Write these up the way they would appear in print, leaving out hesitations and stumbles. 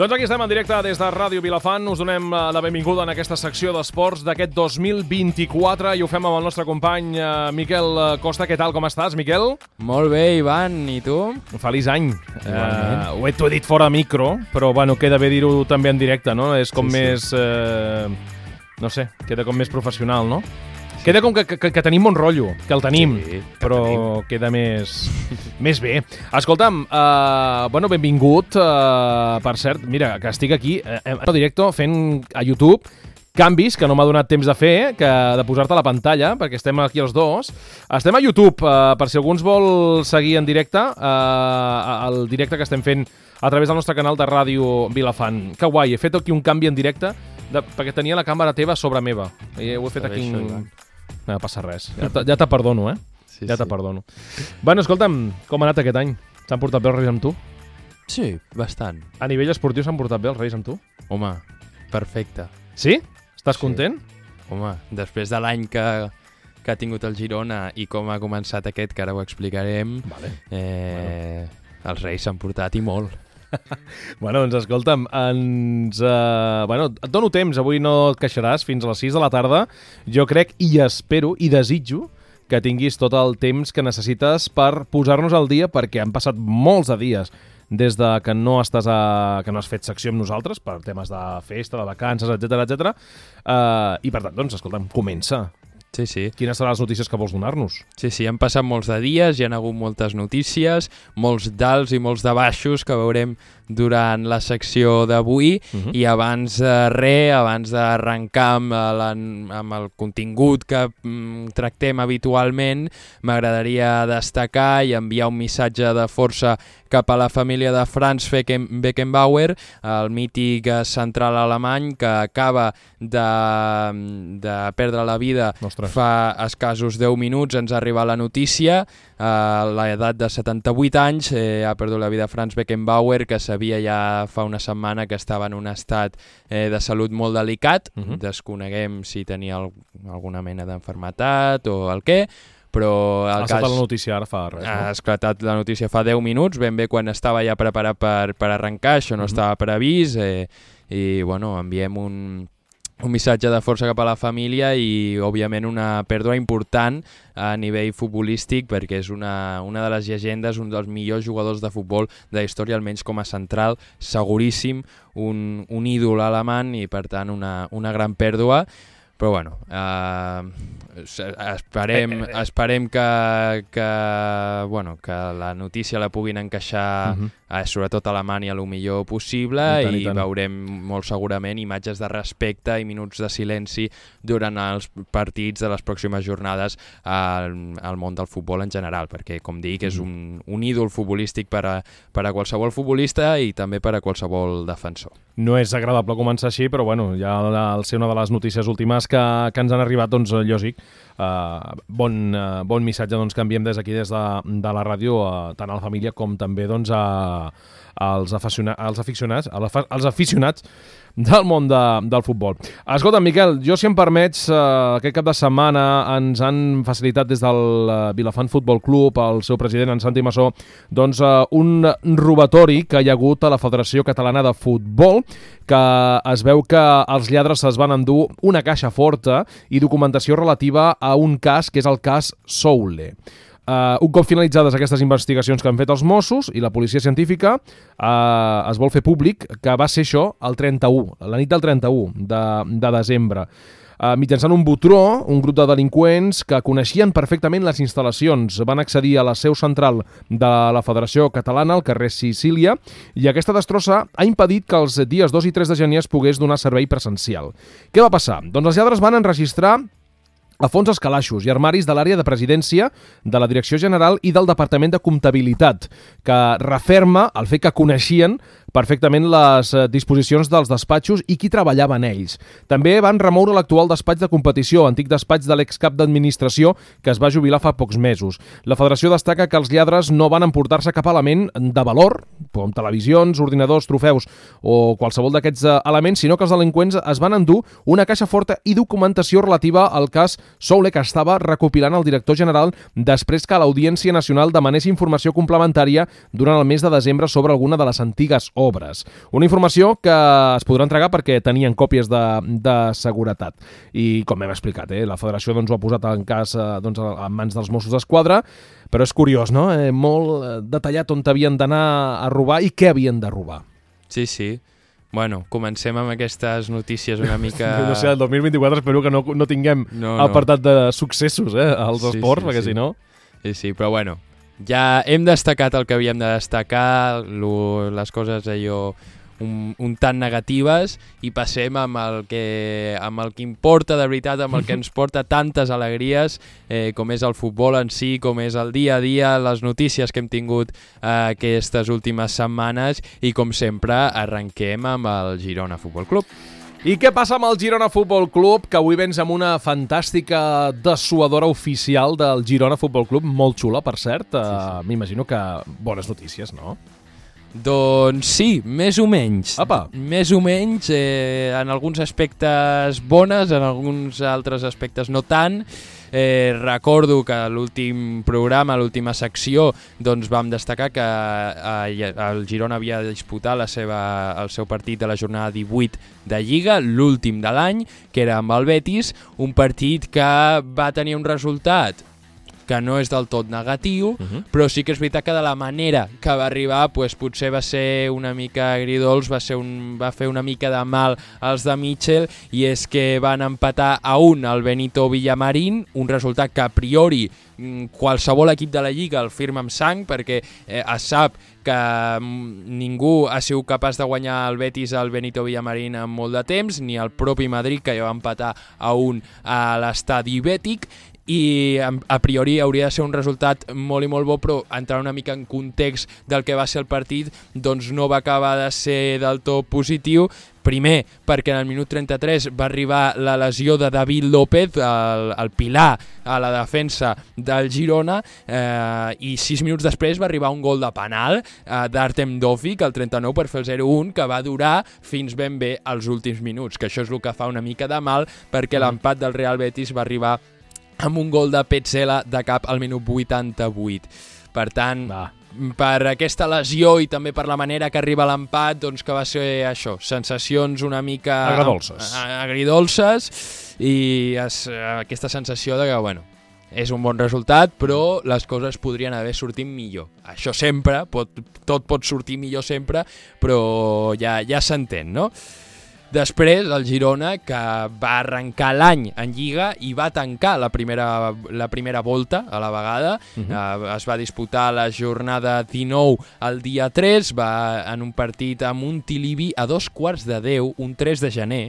Doncs aquí estem en directe des de Ràdio Vilafant. Us donem la benvinguda en aquesta secció d'esports d'aquest 2024 i ho fem amb el nostre company Miquel Costa. Què tal, com estàs, Miquel? Molt bé, Ivan, i tu? Feliç any. Ho he dit fora micro, però bueno, queda bé dir-ho també en directe, no? És com més... no sé, queda com més professional, no? Queda com que tenim bon rotllo, que el tenim, però queda més bé. Escolta'm, benvingut, per cert, mira, que estic aquí en directe fent a YouTube canvis que no m'ha donat temps de fer, de posar-te a la pantalla, perquè estem aquí els dos. Estem a YouTube, per si algú ens vol seguir en directe, el directe que estem fent a través del nostre canal de Ràdio Vilafant. Que guai, he fet aquí un canvi en directe, perquè tenia la càmera teva sobre meva. I ho he fet aquí... No passa res. Ja te perdono, Sí, ja te perdono. Bueno, escolta'm, com ha anat aquest any? S'han portat bé els Reis amb tu? Sí, bastant. A nivell esportiu s'han portat bé els Reis amb tu? Home, perfecte. Sí? Estàs content? Home, després de l'any que ha tingut el Girona i com ha començat aquest, que ara ho explicarem, els Reis s'han portat i molt. Bueno, doncs escolta'm, et dono temps, avui no et queixaràs, fins a les 6 de la tarda. Jo crec i espero i desitjo que tinguis tot el temps que necessites per posar-nos al dia, perquè han passat molts de dies des de que no has fet secció amb nosaltres, per temes de festa, de vacances, etc. I per tant, doncs, escolta'm, comença. Sí. Quines seran les notícies que vols donar-nos? Sí, han passat molts de dies, hi ha hagut moltes notícies, molts d'alts i molts de baixos que veurem durant la secció d'avui. I abans d'arrencar amb el contingut que tractem habitualment, m'agradaria destacar i enviar un missatge de força cap a la família de Franz Beckenbauer, el mític central alemany que acaba de perdre la vida fa escassos 10 minuts. Ens ha arribat la notícia, a l'edat de 78 anys, ha perdut la vida Franz Beckenbauer, que sabia ja fa una setmana que estava en un estat de salut molt delicat. Desconeguem si tenia alguna mena d'enfermetat o el què, però el cas... la notícia ara fa res, no? Ha esclatat la notícia fa 10 minuts, ben bé quan estava ja preparat per arrencar, això no estava previst, i bueno, enviem un missatge de força cap a la família i, òbviament, una pèrdua important a nivell futbolístic, perquè és una de les llegendes, un dels millors jugadors de futbol de la història, almenys com a central, seguríssim, un ídol alemany i, per tant, una gran pèrdua. Però, bueno, esperem que la notícia la puguin encaixar sobretot a Alemanya el millor possible i veurem molt segurament imatges de respecte i minuts de silenci durant els partits de les pròximes jornades al món del futbol en general, perquè, com dic, és un ídol futbolístic per a qualsevol futbolista i també per a qualsevol defensor. No és agradable començar així, però bueno, ja al ser una de les notícies últimes que ens han arribat, doncs, lògic, bon missatge doncs, que enviem des d'aquí, des de la ràdio, tant a la família com també doncs, als aficionats del món del futbol. Escolta, Miquel, jo, si em permets, aquest cap de setmana ens han facilitat des del Vilafant Futbol Club, el seu president, en Santi Massó, doncs un robatori que hi ha hagut a la Federació Catalana de Futbol, que es veu que els lladres es van endur una caixa forta i documentació relativa a un cas que és el cas Soule. Un cop finalitzades aquestes investigacions que han fet els Mossos i la policia científica, es vol fer públic que va ser això la nit del 31 de desembre. Mitjançant un botró, un grup de delinqüents que coneixien perfectament les instal·lacions van accedir a la seu central de la Federació Catalana, al carrer Sicília, i aquesta destrossa ha impedit que els dies 2 i 3 de gener es pogués donar servei presencial. Què va passar? Doncs els lladres van enregistrar a fons els calaixos i armaris de l'àrea de presidència, de la Direcció General i del Departament de Comptabilitat, que referma el fet que coneixien perfectament les disposicions dels despatxos i qui treballava en ells. També van remoure l'actual despatx de competició, antic despatx de l'excap d'administració que es va jubilar fa pocs mesos. La federació destaca que els lladres no van emportar-se cap element de valor, com televisions, ordinadors, trofeus o qualsevol d'aquests elements, sinó que els delinqüents es van endur una caixa forta i documentació relativa al cas Soule, que estava recopilant el director general després que l'Audiència Nacional demanés informació complementària durant el mes de desembre sobre alguna de les antigues obres. Una informació que es podrà entregar perquè tenien còpies de seguretat. I com hem explicat, la federació ho ha posat en cas en mans dels Mossos d'Esquadra, però és curiós, no? Molt detallat on havien d'anar a robar i què havien de robar. Sí, sí. Bueno, comencem amb aquestes notícies una mica... No sé, el 2024 espero que no tinguem apartat de successos als esports, perquè si no... Sí, però bueno, ja hem destacat el que havíem de destacar, les coses allò un tant negatives, i passem amb el que importa de veritat, amb el que ens porta tantes alegries, com és el futbol en si, com és el dia a dia, les notícies que hem tingut aquestes últimes setmanes, i com sempre arrenquem amb el Girona Futbol Club. I què passa amb el Girona Futbol Club, que avui vens amb una fantàstica dessuadora oficial del Girona Futbol Club, molt xula, per cert. Sí. M'imagino que bones notícies, no? Doncs sí, més o menys. Apa. Més o menys, en alguns aspectes bones, en alguns altres aspectes no tant. Recordo que a l'últim programa, a l'última secció, doncs vam destacar que el Girona havia de disputar el seu partit de la jornada 18 de Lliga, l'últim de l'any, que era amb el Betis, un partit que va tenir un resultat que no és del tot negatiu, però sí que és veritat que de la manera que va arribar potser va ser una mica agridolç, va fer una mica de mal als de Mitchell, i és que van empatar a 1 al Benito Villamarín, un resultat que a priori qualsevol equip de la Lliga el firma amb sang, perquè es sap que ningú ha sigut capaç de guanyar el Betis al Benito Villamarín en molt de temps, ni el propi Madrid, que ja va empatar a 1 a l'estadi Bètic, i a priori hauria de ser un resultat molt i molt bo, però entrar una mica en context del que va ser el partit, doncs no va acabar de ser del tot positiu. Primer, perquè en el minut 33 va arribar la lesió de David López, el pilar a la defensa del Girona, i 6 minuts després va arribar un gol de penal d'Artem Dovik, al 39, per fer el 0-1, que va durar fins ben bé als últims minuts, que això és el que fa una mica de mal, perquè l'empat del Real Betis va arribar amb un gol de Petzela de cap al minut 88. Per tant, per aquesta lesió i també per la manera que arriba l'empat, doncs que va ser això, sensacions una mica agridolces, i aquesta sensació de que, bueno, és un bon resultat, però les coses podrien haver sortit millor. Això sempre, tot pot sortir millor sempre, però ja s'entén, no? Després, el Girona, que va arrencar l'any en Lliga i va tancar la primera volta a la vegada. Es va disputar la jornada 19 el dia 3, en un partit amb un Tilivi a 2:15, un 3 de gener,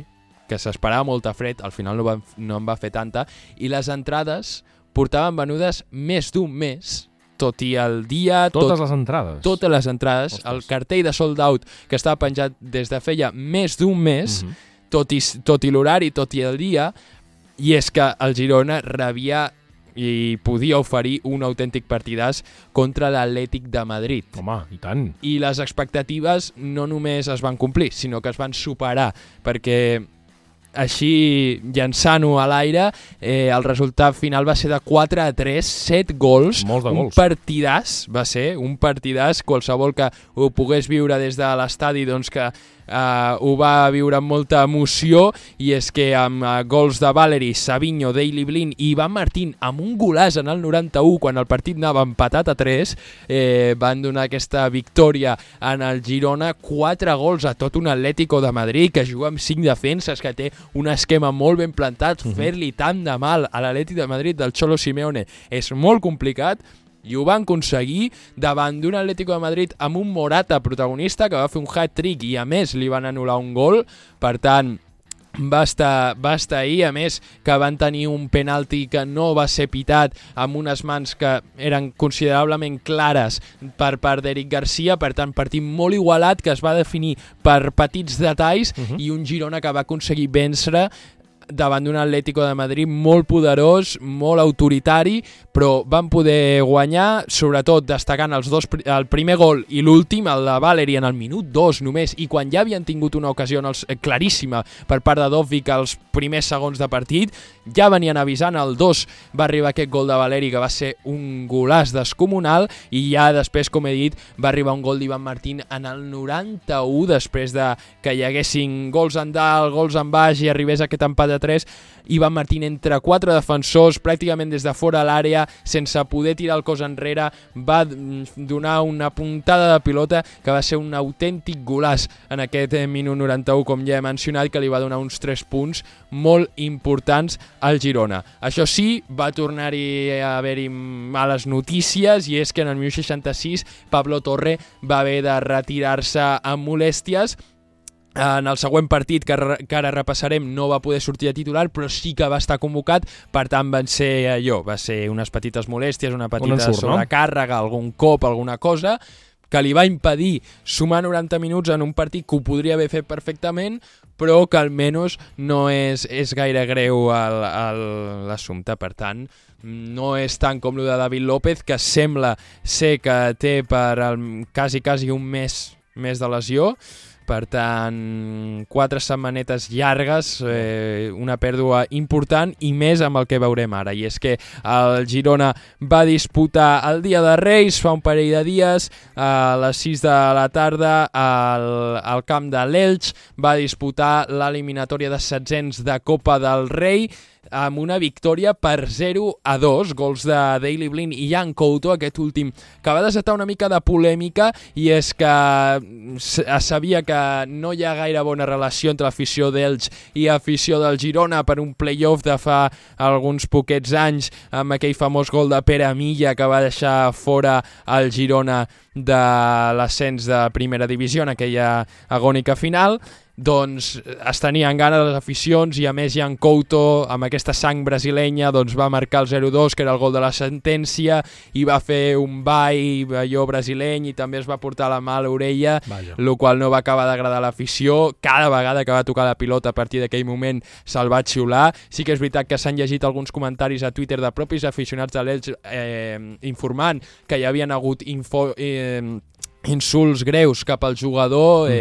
que s'esperava molta fred, al final no en va fer tanta, i les entrades portaven venudes més d'un mes, tot i el dia... Totes les entrades? Totes les entrades. Ostres. El cartell de sold out, que estava penjat des de feia més d'un mes, tot i l'horari, tot i el dia, i és que el Girona rebia i podia oferir un autèntic partidàs contra l'Atlètic de Madrid. Home, i tant. I les expectatives no només es van complir, sinó que es van superar, perquè així, llançant-ho a l'aire, el resultat final va ser de 4-3, 7 gols. Molts de gols. Un partidàs, va ser un partidàs, qualsevol que ho pogués viure des de l'estadi, doncs que ho va viure amb molta emoció, i és que amb gols de Valeri, Savinho, Daley Blind i Ivan Martín, amb un golàs en el 91, quan el partit anava empatat a 3, van donar aquesta victòria en el Girona, 4 gols a tot un Atlético de Madrid, que juga amb 5 defenses, que té un esquema molt ben plantat. Fer-li tant de mal a l'Atlètic de Madrid del Cholo Simeone és molt complicat, i ho van aconseguir davant d'un Atlético de Madrid amb un Morata protagonista, que va fer un hat-trick i a més li van anul·lar un gol. Per tant, va estar ahí, a més que van tenir un penalti que no va ser pitat, amb unes mans que eren considerablement clares per part d'Eric Garcia. Per tant, partit molt igualat, que es va definir per petits detalls, i un Girona que va aconseguir vèncer davant d'un Atlético de Madrid molt poderós, molt autoritari, però van poder guanyar, sobretot destacant el primer gol i l'últim, el de Valeri en el minut 2 només, i quan ja havien tingut una ocasió claríssima per part de Dovvik als primers segons de partit, ja venien avisant, el 2 va arribar aquest gol de Valeri que va ser un golaç descomunal, i ja després, com he dit, va arribar un gol d'Ivan Martín en el 91, després de que hi haguessin gols en dalt, gols en baix i arribés aquest empat de 3, Ivan Martín entre 4 defensors, pràcticament des de fora a l'àrea, sense poder tirar el cos enrere, va donar una puntada de pilota que va ser un autèntic golaç en aquest minut 91, com ja he mencionat, que li va donar uns 3 punts molt importants al Girona. Això sí, va tornar-hi a haver-hi males notícies, i és que en el 1066 Pablo Torre va haver de retirar-se amb molèsties. En el següent partit, que ara repassarem, no va poder sortir de titular, però sí que va estar convocat, per tant va ser unes petites molèsties, una petita sobrecàrrega, algun cop, alguna cosa, que li va impedir sumar 90 minuts en un partit que ho podria haver fet perfectament, però que almenys no és gaire greu l'assumpte. Per tant, no és tant com el de David López, que sembla ser que té per quasi un mes de lesió. Per tant, 4 setmanetes llargues, una pèrdua important, i més amb el que veurem ara. I és que el Girona va disputar el dia de Reis, fa un parell de dies, a les 6 de la tarda, al camp de l'Elx, va disputar l'eliminatòria de setzents de Copa del Rei, amb una victòria per 0-2, gols de Daley Blind i Jan Couto, aquest últim, que va desatar una mica de polèmica, i és que es sabia que no hi ha gaire bona relació entre l'afició d'Elx i l'afició del Girona per un play-off de fa alguns poquets anys, amb aquell famós gol de Pere Milla que va deixar fora el Girona de l'ascens de primera divisió en aquella agònica final. Doncs es tenien ganes les aficions, i a més Jan Couto, amb aquesta sang brasilenya, doncs va marcar el 0-2, que era el gol de la sentència, i va fer un ball allò brasileny, i també es va portar la mà a l'orella, el qual no va acabar d'agradar a l'afició. Cada vegada que va tocar la pilota a partir d'aquell moment se'l va xiular. Sí que és veritat que s'han llegit alguns comentaris a Twitter de propis aficionats de l'Elx informant que hi havien hagut insults greus cap al jugador,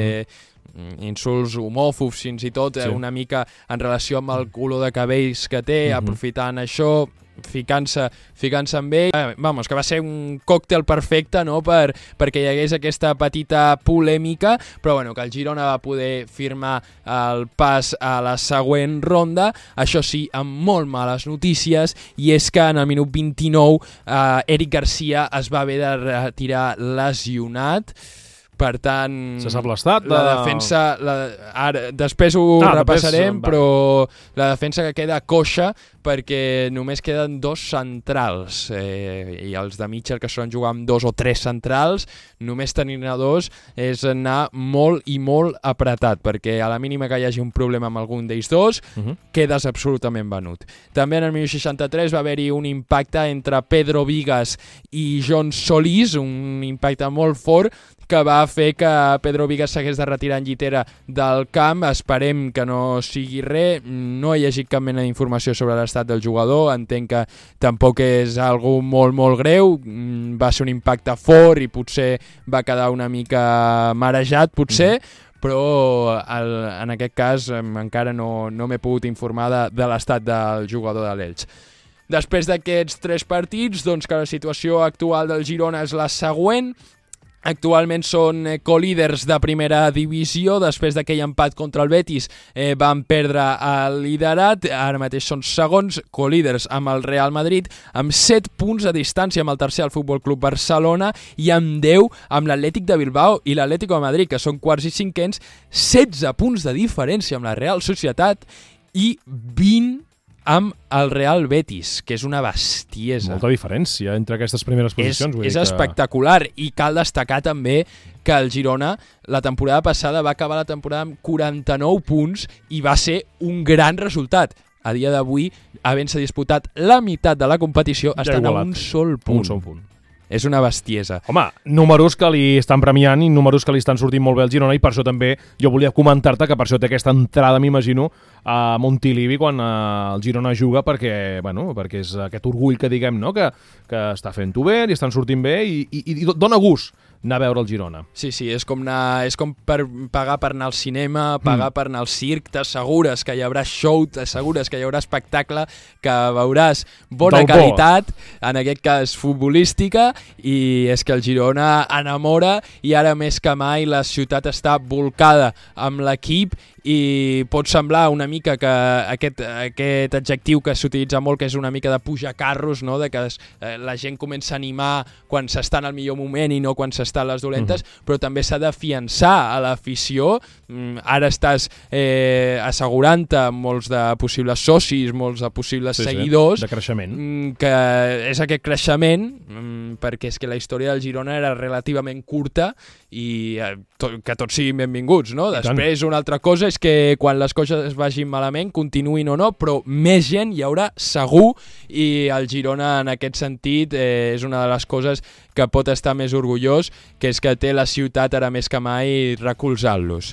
insults homòfobs fins i tot, una mica en relació amb el color de cabells que té, aprofitant això, ficant-se amb ell. Vamos, que va ser un còctel perfecte, no?, perquè hi hagués aquesta petita polèmica, però bueno, que el Girona va poder firmar el pas a la següent ronda, això sí, amb molt males notícies, i és que en el minut 29 Eric Garcia es va haver de retirar lesionat. Per tant, se sap l'estat la defensa, després ho repassarem, però la defensa que queda coixa, perquè només queden 2 centrals, i els de Mitchell, que són jugar amb 2 o 3 centrals, només tenir 2 és anar molt i molt apretat, perquè a la mínima que hi hagi un problema amb algun d'ells dos, quedes absolutament venut. També en el 1063 va haver-hi un impacte entre Pedro Vigas i John Solís, un impacte molt fort, que va fer que Pedro Vigas s'hagués de retirar en llitera del camp. Esperem que no sigui res. No he llegit cap mena d'informació sobre l'estat del jugador. Entenc que tampoc és algo molt, molt greu. Va ser un impacte fort i potser va quedar una mica marejat, potser, però en aquest cas encara no m'he pogut informar de l'estat del jugador de l'Elx. Després d'aquests 3 partits, doncs que la situació actual del Girona és la següent. Actualment són colíders de primera divisió. Després d'aquell empat contra el Betis van perdre el liderat, ara mateix són segons, colíders amb el Real Madrid, amb 7 punts de distància amb el tercer, el Futbol Club Barcelona, i amb 10 amb l'Atlètic de Bilbao i l'Atlético de Madrid, que són quarts i cinquens, 16 punts de diferència amb la Real Societat i 20 amb el Real Betis, que és una bestiesa. Molta diferència entre aquestes primeres posicions. És espectacular, i cal destacar també que el Girona la temporada passada va acabar la temporada amb 49 punts i va ser un gran resultat. A dia d'avui, havent-se disputat la meitat de la competició, estan a un sol punt. és una bestiesa. Home, números que li estan premiant i números que li estan sortint molt bé al Girona, i per això també jo volia comentar-te que per això té aquesta entrada, m'imagino, a Montilivi quan el Girona juga, perquè és aquest orgull que diguem, no? que està fent-ho bé, li estan sortint bé i dona gust anar a veure el Girona. Sí, és com per pagar per anar al cinema, pagar per anar al circ, t'assegures que hi haurà show, t'assegures que hi haurà espectacle, que veuràs bona qualitat, en aquest cas futbolística, i és que el Girona enamora, i ara més que mai la ciutat està volcada amb l'equip, i pot semblar una mica que aquest adjectiu que s'utilitza molt, que és una mica de pujar carros, no? De que la gent comença a animar quan s'està en el millor moment i no quan s'està a les dolentes, però també s'ha de fiançar a l'afició. Ara estàs assegurant-te molts de possibles socis, molts de possibles seguidors, de creixement, que és aquest creixement, perquè és que la història del Girona era relativament curta i que tots siguin benvinguts, no? Després una altra cosa és que quan les coses vagin malament, continuïn o no, però més gent hi haurà segur, i el Girona en aquest sentit és una de les coses que pot estar més orgullós, que és que té la ciutat ara més que mai recolzant-los.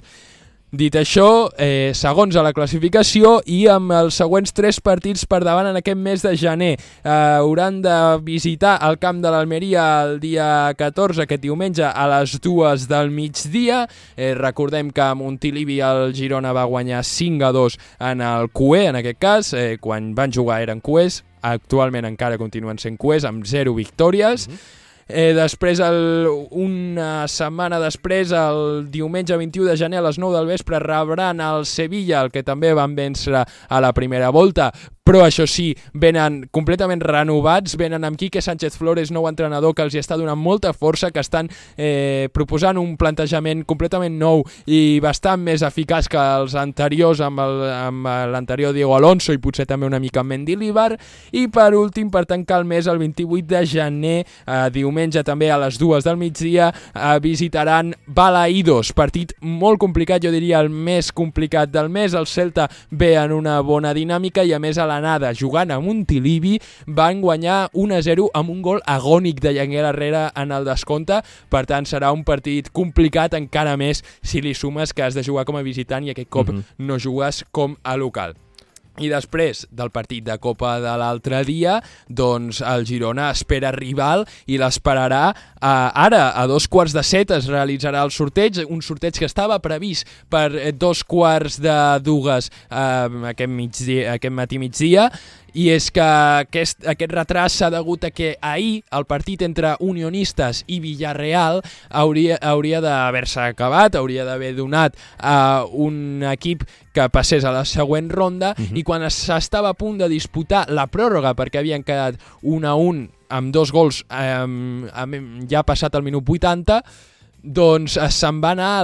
Dit això, segons a la classificació i amb els següents 3 partits per davant en aquest mes de gener. Hauran de visitar el camp de l'Almeria el dia 14, aquest diumenge, a les 2 del migdia. Recordem que a Montilivi el Girona va guanyar 5-2 en el QE, en aquest cas, quan van jugar eren QEs, actualment encara continuen sent QEs, amb 0 victòries. Després, una setmana després, el diumenge 21 de gener a les 9 del vespre, rebran el Sevilla, el que també van vèncer a la primera volta, però això sí, venen completament renovats, venen amb Quique Sánchez Flores, nou entrenador, que els hi està donant molta força, que estan proposant un plantejament completament nou i bastant més eficaç que els anteriors, amb l'anterior Diego Alonso i potser també una mica amb Mendilibar. I per últim, per tancar el mes, el 28 de gener, diumenge també a les 2 del migdia, visitaran Balaídos, partit molt complicat, jo diria el més complicat del mes. El Celta ve en una bona dinàmica i a més a l'anada, jugant a Montilivi, van guanyar 1-0 amb un gol agònic de Yanguel Herrera en el descompte. Per tant, serà un partit complicat encara més si li sumes que has de jugar com a visitant i aquest cop no jugues com a local. I després del partit de Copa de l'altre dia, doncs el Girona espera rival i l'esperarà ara, a 7:15 es realitzarà el sorteig, un sorteig que estava previst per 2:15 aquest matí migdia, i és que aquest retras s'ha degut a que ahir el partit entre Unionistes i Villarreal hauria d'haver-se acabat, hauria d'haver donat a un equip que passés a la següent ronda, i quan s'estava a punt de disputar la pròrroga, perquè havien quedat 1-1 amb 2 gols ja passat el minut 80, doncs se'n va anar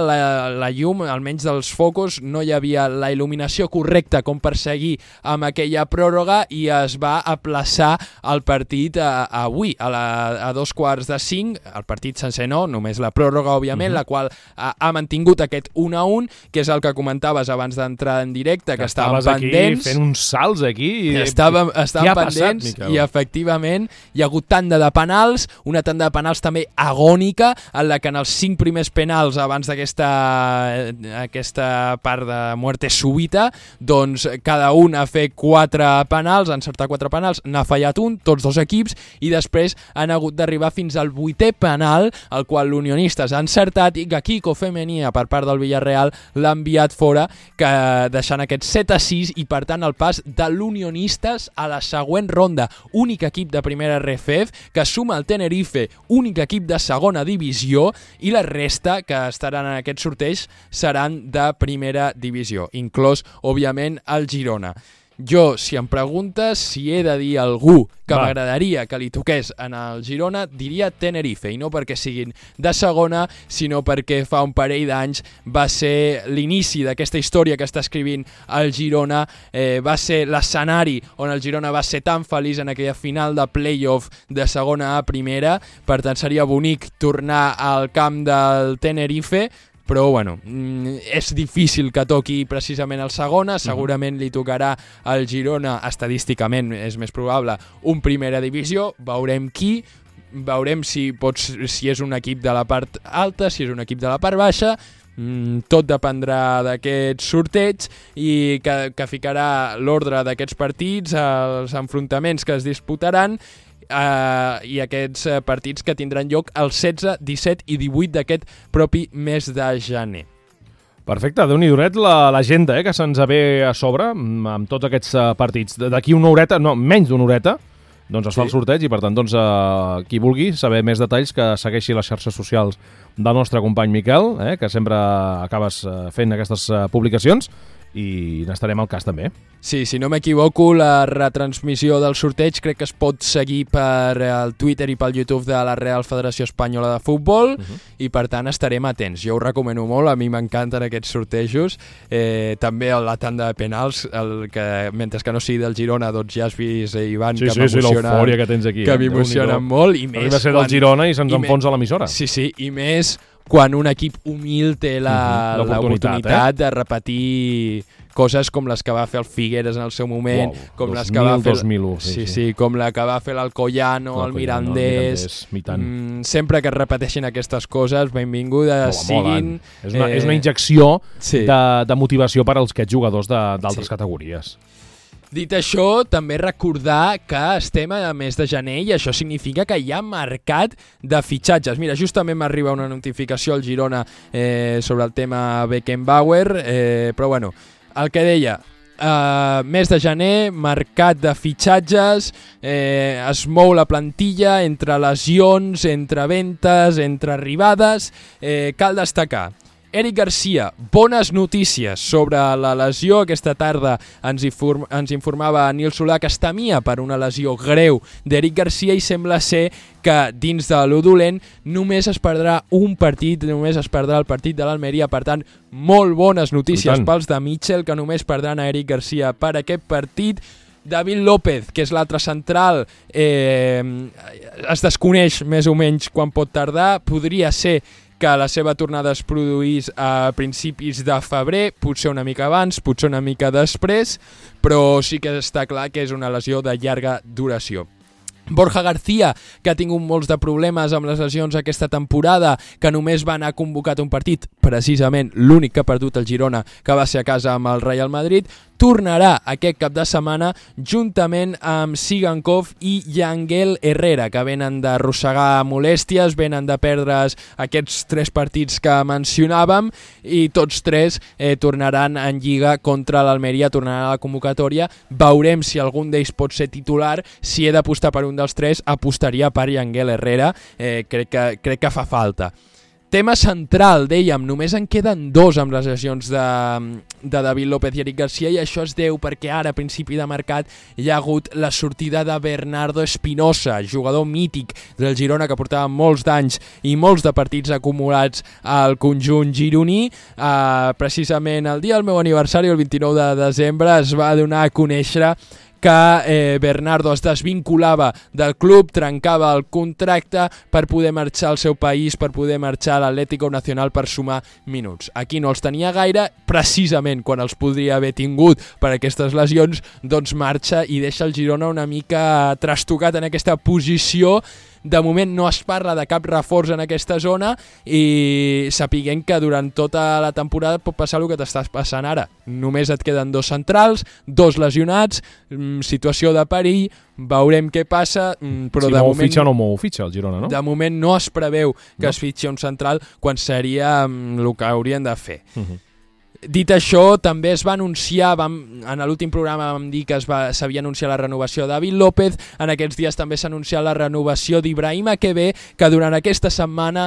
la llum, almenys dels focus, no hi havia la il·luminació correcta com per seguir amb aquella pròrroga, i es va aplaçar el partit avui, a 4:45, el partit sencer no, només la pròrroga, òbviament, la qual ha mantingut aquest 1-1, que és el que comentaves abans d'entrar en directe, que estaven pendents. Aquí fent uns salts aquí. Estaven pendents, i efectivament hi ha hagut tanda de penals, una tanda de penals també agònica, en la que en els 5 primers penals abans d'aquesta part de muerte súbita, doncs cada un ha fet 4 penals, ha encertat 4 penals, n'ha fallat un, tots 2 equips, i després han hagut d'arribar fins al 8è penal, el qual l'Unionistes ha encertat, i que Kiko Femenia, per part del Villarreal, l'ha enviat fora, deixant aquest 7-6, i per tant el pas de l'Unionistes a la següent ronda. Únic equip de primera RFF que suma el Tenerife, únic equip de segona divisió, i la resta que estaran en aquest sorteig seran de primera divisió, inclòs, òbviament, el Girona. Jo, si em preguntes si he de dir a algú que m'agradaria que li toqués en el Girona, diria Tenerife, i no perquè siguin de segona, sinó perquè fa un parell d'anys va ser l'inici d'aquesta història que està escrivint el Girona, va ser l'escenari on el Girona va ser tan feliç en aquella final de play-off de segona a primera. Per tant, seria bonic tornar al camp del Tenerife, però bueno, és difícil que toqui precisament el segona, segurament li tocarà al Girona, estadísticament és més probable, un primera divisió, veurem qui. veurem si és un equip de la part alta, si és un equip de la part baixa. Tot dependrà d'aquest sorteig i que ficarà l'ordre d'aquests partits, els enfrontaments que es disputaran i aquests partits que tindran lloc el 16, 17 i 18 d'aquest propi mes de gener. Perfecte, Déu-n'hi-do l'agenda que se'ns ve a sobre amb tots aquests partits. D'aquí una horeta, no, menys d'una horeta, doncs es fa el sorteig i per tant qui vulgui saber més detalls que segueixi les xarxes socials del nostre company Miquel, que sempre acabes fent aquestes publicacions i n'estarem al cas també. Sí, si no m'equivoco, la retransmissió del sorteig crec que es pot seguir per el Twitter i pel YouTube de la Real Federació Espanyola de Futbol i per tant estarem atents. Jo ho recomano molt, a mi m'encanten aquests sortejos. També la tanda de penals, mentre que no sigui del Girona, doncs ja has vist, Ivan, que m'emocionen, l'eufòria que tens aquí, que m'emocionen molt. I més va ser del Girona i se'ns enfonsa l'emissora. Sí, i més quan un equip humil té l'oportunitat de repetir coses com les que va fer el Figueres en el seu moment, com les que va fer 2001, com la que va fer l'Alcoyano, el Mirandés. Sempre que es repeteixin aquestes coses, benvingudes siguin. És una injecció de motivació per als aquests jugadors d'altres categories. Dit això, també recordar que estem a mes de gener i això significa que hi ha mercat de fitxatges. Mira, justament m'arriba una notificació al Girona sobre el tema Beckenbauer, però bueno, el que deia, mes de gener, mercat de fitxatges, es mou la plantilla entre lesions, entre ventes, entre arribades. Cal destacar Eric Garcia, bones notícies sobre la lesió. Aquesta tarda ens informava Nil Solà que es temia per una lesió greu d'Eric Garcia i sembla ser que dins de lo dolent només es perdrà un partit, només es perdrà el partit de l'Almeria. Per tant, molt bones notícies pels de Mitchell, que només perdran a Eric Garcia per aquest partit. David López, que és l'altre central, es desconeix més o menys quan pot tardar. Podria ser que la seva tornada es produís a principis de febrer, potser una mica abans, potser una mica després, però sí que està clar que és una lesió de llarga duració. Borja García, que ha tingut molts de problemes amb les lesions aquesta temporada, que només va anar convocat un partit, precisament l'únic que ha perdut el Girona, que va ser a casa amb el Real Madrid, tornarà aquest cap de setmana juntament amb Sigankov i Yangel Herrera, que venen d'arrossegar molèsties, venen de perdre's aquests 3 partits que mencionàvem i tots 3 tornaran en Lliga contra l'Almeria, tornaran a la convocatòria. Veurem si algun d'ells pot ser titular. Si he d'apostar per un dels 3, apostaria per Yangel Herrera. Crec que fa falta. Tema central, dèiem, només en queden 2 amb les lesions de David López i Eric Garcia i això es deu perquè ara, a principi de mercat, hi ha hagut la sortida de Bernardo Espinosa, jugador mític del Girona que portava molts d'anys i molts de partits acumulats al conjunt gironí. Precisament el dia del meu aniversari, el 29 de desembre, es va donar a conèixer que Bernardo es desvinculava del club, trencava el contracte per poder marxar al seu país, per poder marxar a l'Atlético Nacional per sumar minuts. Aquí no els tenia gaire, precisament quan els podria haver tingut per aquestes lesions, doncs marxa i deixa el Girona una mica trastocat en aquesta posició. De moment no es parla de cap reforç en aquesta zona i sapiguem que durant tota la temporada pot passar el que t'estàs passant ara. Només et queden 2 centrals, 2 lesionats, situació de perill, veurem què passa, però de moment... fitxa o no ho fitxa el Girona, no? De moment no es preveu que es fitxi un central quan seria el que haurien de fer. Dit això, també es va anunciar, en l'últim programa vam dir que s'havia anunciat la renovació de David López, en aquests dies també s'ha anunciat la renovació d'Ibrahim Akebe, que durant aquesta setmana,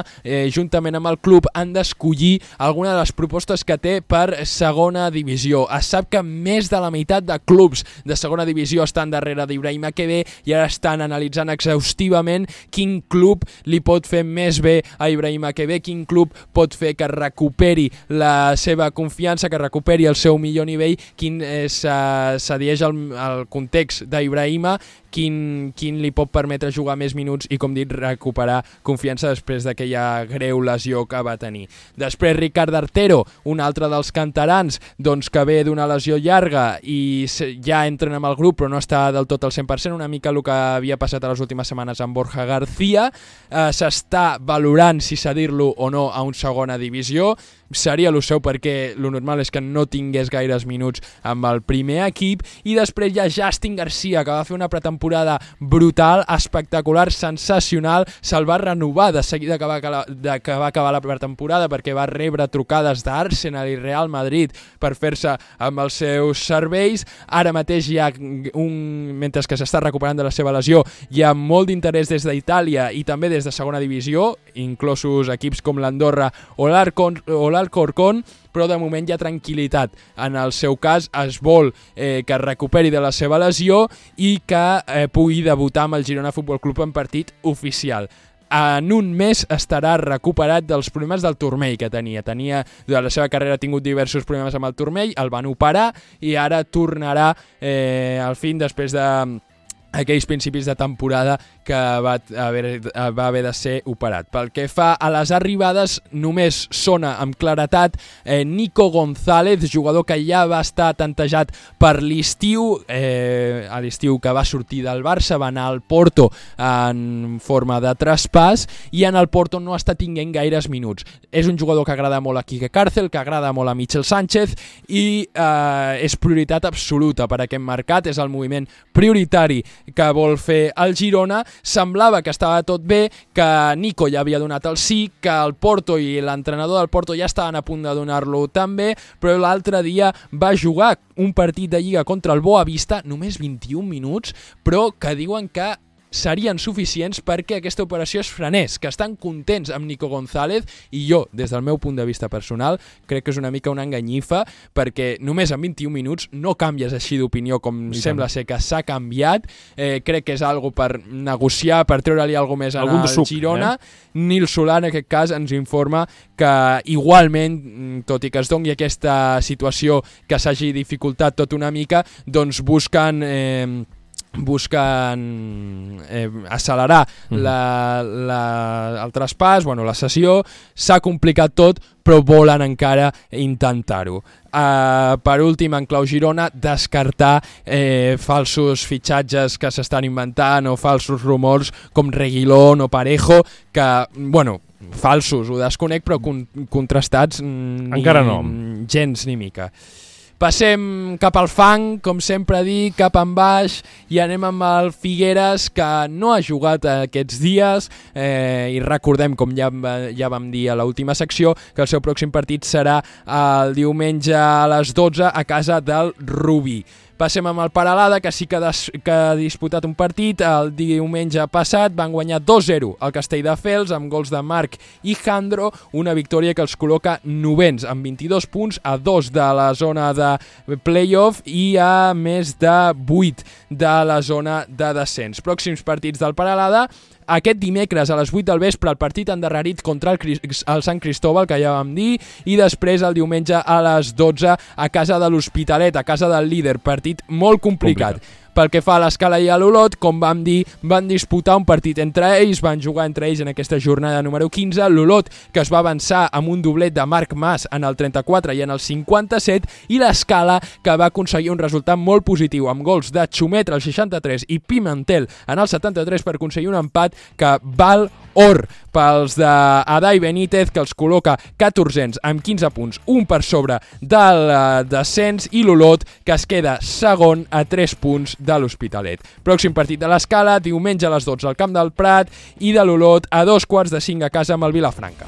juntament amb el club, han d'escollir alguna de les propostes que té per segona divisió. Es sap que més de la meitat de clubs de segona divisió estan darrere d'Ibrahim Akebe i ara estan analitzant exhaustivament quin club li pot fer més bé a Ibrahim Akebe, quin club pot fer que recuperi la seva confiança, que recuperi el seu millor nivell, quin s'adheix al context d'Ibrahima, quin li pot permetre jugar més minuts i, com dit, recuperar confiança després d'aquella greu lesió que va tenir. Després Ricard Artero, un altre dels canterans, doncs, que ve d'una lesió llarga i ja entren amb el grup però no està del tot al 100%, una mica el que havia passat a les últimes setmanes amb Borja García. S'està valorant si cedir-lo o no a una segona divisió. Seria el seu perquè el normal és que no tingués gaires minuts amb el primer equip. I després hi ha Justin Garcia, que va fer una pretemporada brutal, espectacular, sensacional. Se'l va renovar de seguida que va acabar la pretemporada, perquè va rebre trucades d'Arsenal i Real Madrid per fer-se amb els seus serveis. Ara mateix hi ha mentre que s'està recuperant de la seva lesió, hi ha molt d'interès des d'Itàlia i també des de segona divisió, inclosos equips com l'Andorra o l'Alcorcón, però de moment hi ha tranquil·litat. En el seu cas es vol que es recuperi de la seva lesió i que pugui debutar amb el Girona Futbol Club en partit oficial. En un mes estarà recuperat dels problemes del turmell que tenia. Durant la seva carrera ha tingut diversos problemes amb el turmell, el van operar i ara tornarà al fin després d'aquells principis de temporada que va haver de ser operat. Pel que fa a les arribades, només sona amb claretat Nico González, jugador que ja va estar tantejat per l'estiu, a l'estiu que va sortir del Barça, va anar al Porto en forma de traspàs i en el Porto no està tinguent gaires minuts. És un jugador que agrada molt a Quique Cárcel, que agrada molt a Michel Sánchez i és prioritat absoluta per aquest mercat, és el moviment prioritari que vol fer el Girona. Semblava que estava tot bé, que Nico ja havia donat el sí, que el Porto i l'entrenador del Porto ja estaven a punt de donar-lo també, però l'altre dia va jugar un partit de Lliga contra el Boavista, només 21 minuts, però que diuen que serien suficients perquè aquesta operació es frenés, que estan contents amb Nico González, i jo, des del meu punt de vista personal, crec que és una mica una enganyifa, perquè només en 21 minuts no canvies així d'opinió com sembla ser que s'ha canviat. Crec que és algo per negociar, per treure-li alguna més al Girona. Nil Solà, en aquest cas, ens informa que igualment, tot i que es doni aquesta situació que s'hagi dificultat tot una mica, doncs busquen accelerar el traspàs, la cessió. S'ha complicat tot, però volen encara intentar-ho. Per últim, en clau Girona, descartar falsos fitxatges que s'estan inventant o falsos rumors com Reguilón o Parejo, que, falsos, ho desconec, però contrastats encara no. Gens ni mica. Passem cap al fang, com sempre dic, cap en baix, i anem amb el Figueres, que no ha jugat aquests dies, i recordem, com ja vam dir a l'última secció, que el seu pròxim partit serà el diumenge a les 12 a casa del Rubí. Passem amb el Peralada, que sí que ha disputat un partit. El diumenge passat van guanyar 2-0 al Castelldefels amb gols de Marc i Jandro, una victòria que els col·loca novens amb 22 punts, a 2 de la zona de playoff i a més de 8 de la zona de descens. Pròxims partits del Peralada: aquest dimecres a les 8 del vespre el partit endarrerit contra el Sant Cristóbal, que ja vam dir, i després el diumenge a les 12 a casa de l'Hospitalet, a casa del líder. Partit molt complicat. Pel que fa a l'Escala i a l'Olot, com vam dir, van disputar un partit entre ells, van jugar entre ells en aquesta jornada número 15, l'Olot, que es va avançar amb un doblet de Marc Mas en el 34 i en el 57, i l'Escala, que va aconseguir un resultat molt positiu, amb gols de Xumet al 63 i Pimentel en el 73 per aconseguir un empat que val or pels d'Adai Benítez, que els col·loca 14ens amb 15 punts, un per sobre del descens, i l'Olot, que es queda segon a 3 punts de l'Hospitalet. Pròxim partit de l'Escala, diumenge a les 12 al Camp del Prat, i de l'Olot a 2:45 a casa amb el Vilafranca.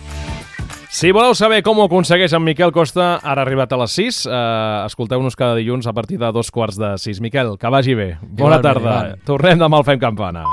Si voleu saber com ho aconsegueix en Miquel Costa, ara ha arribat a les 6, escolteu-nos cada dilluns a partir de 2:15. Miquel, que vagi bé. Bona tarda. Tornem demà al Fem Campana.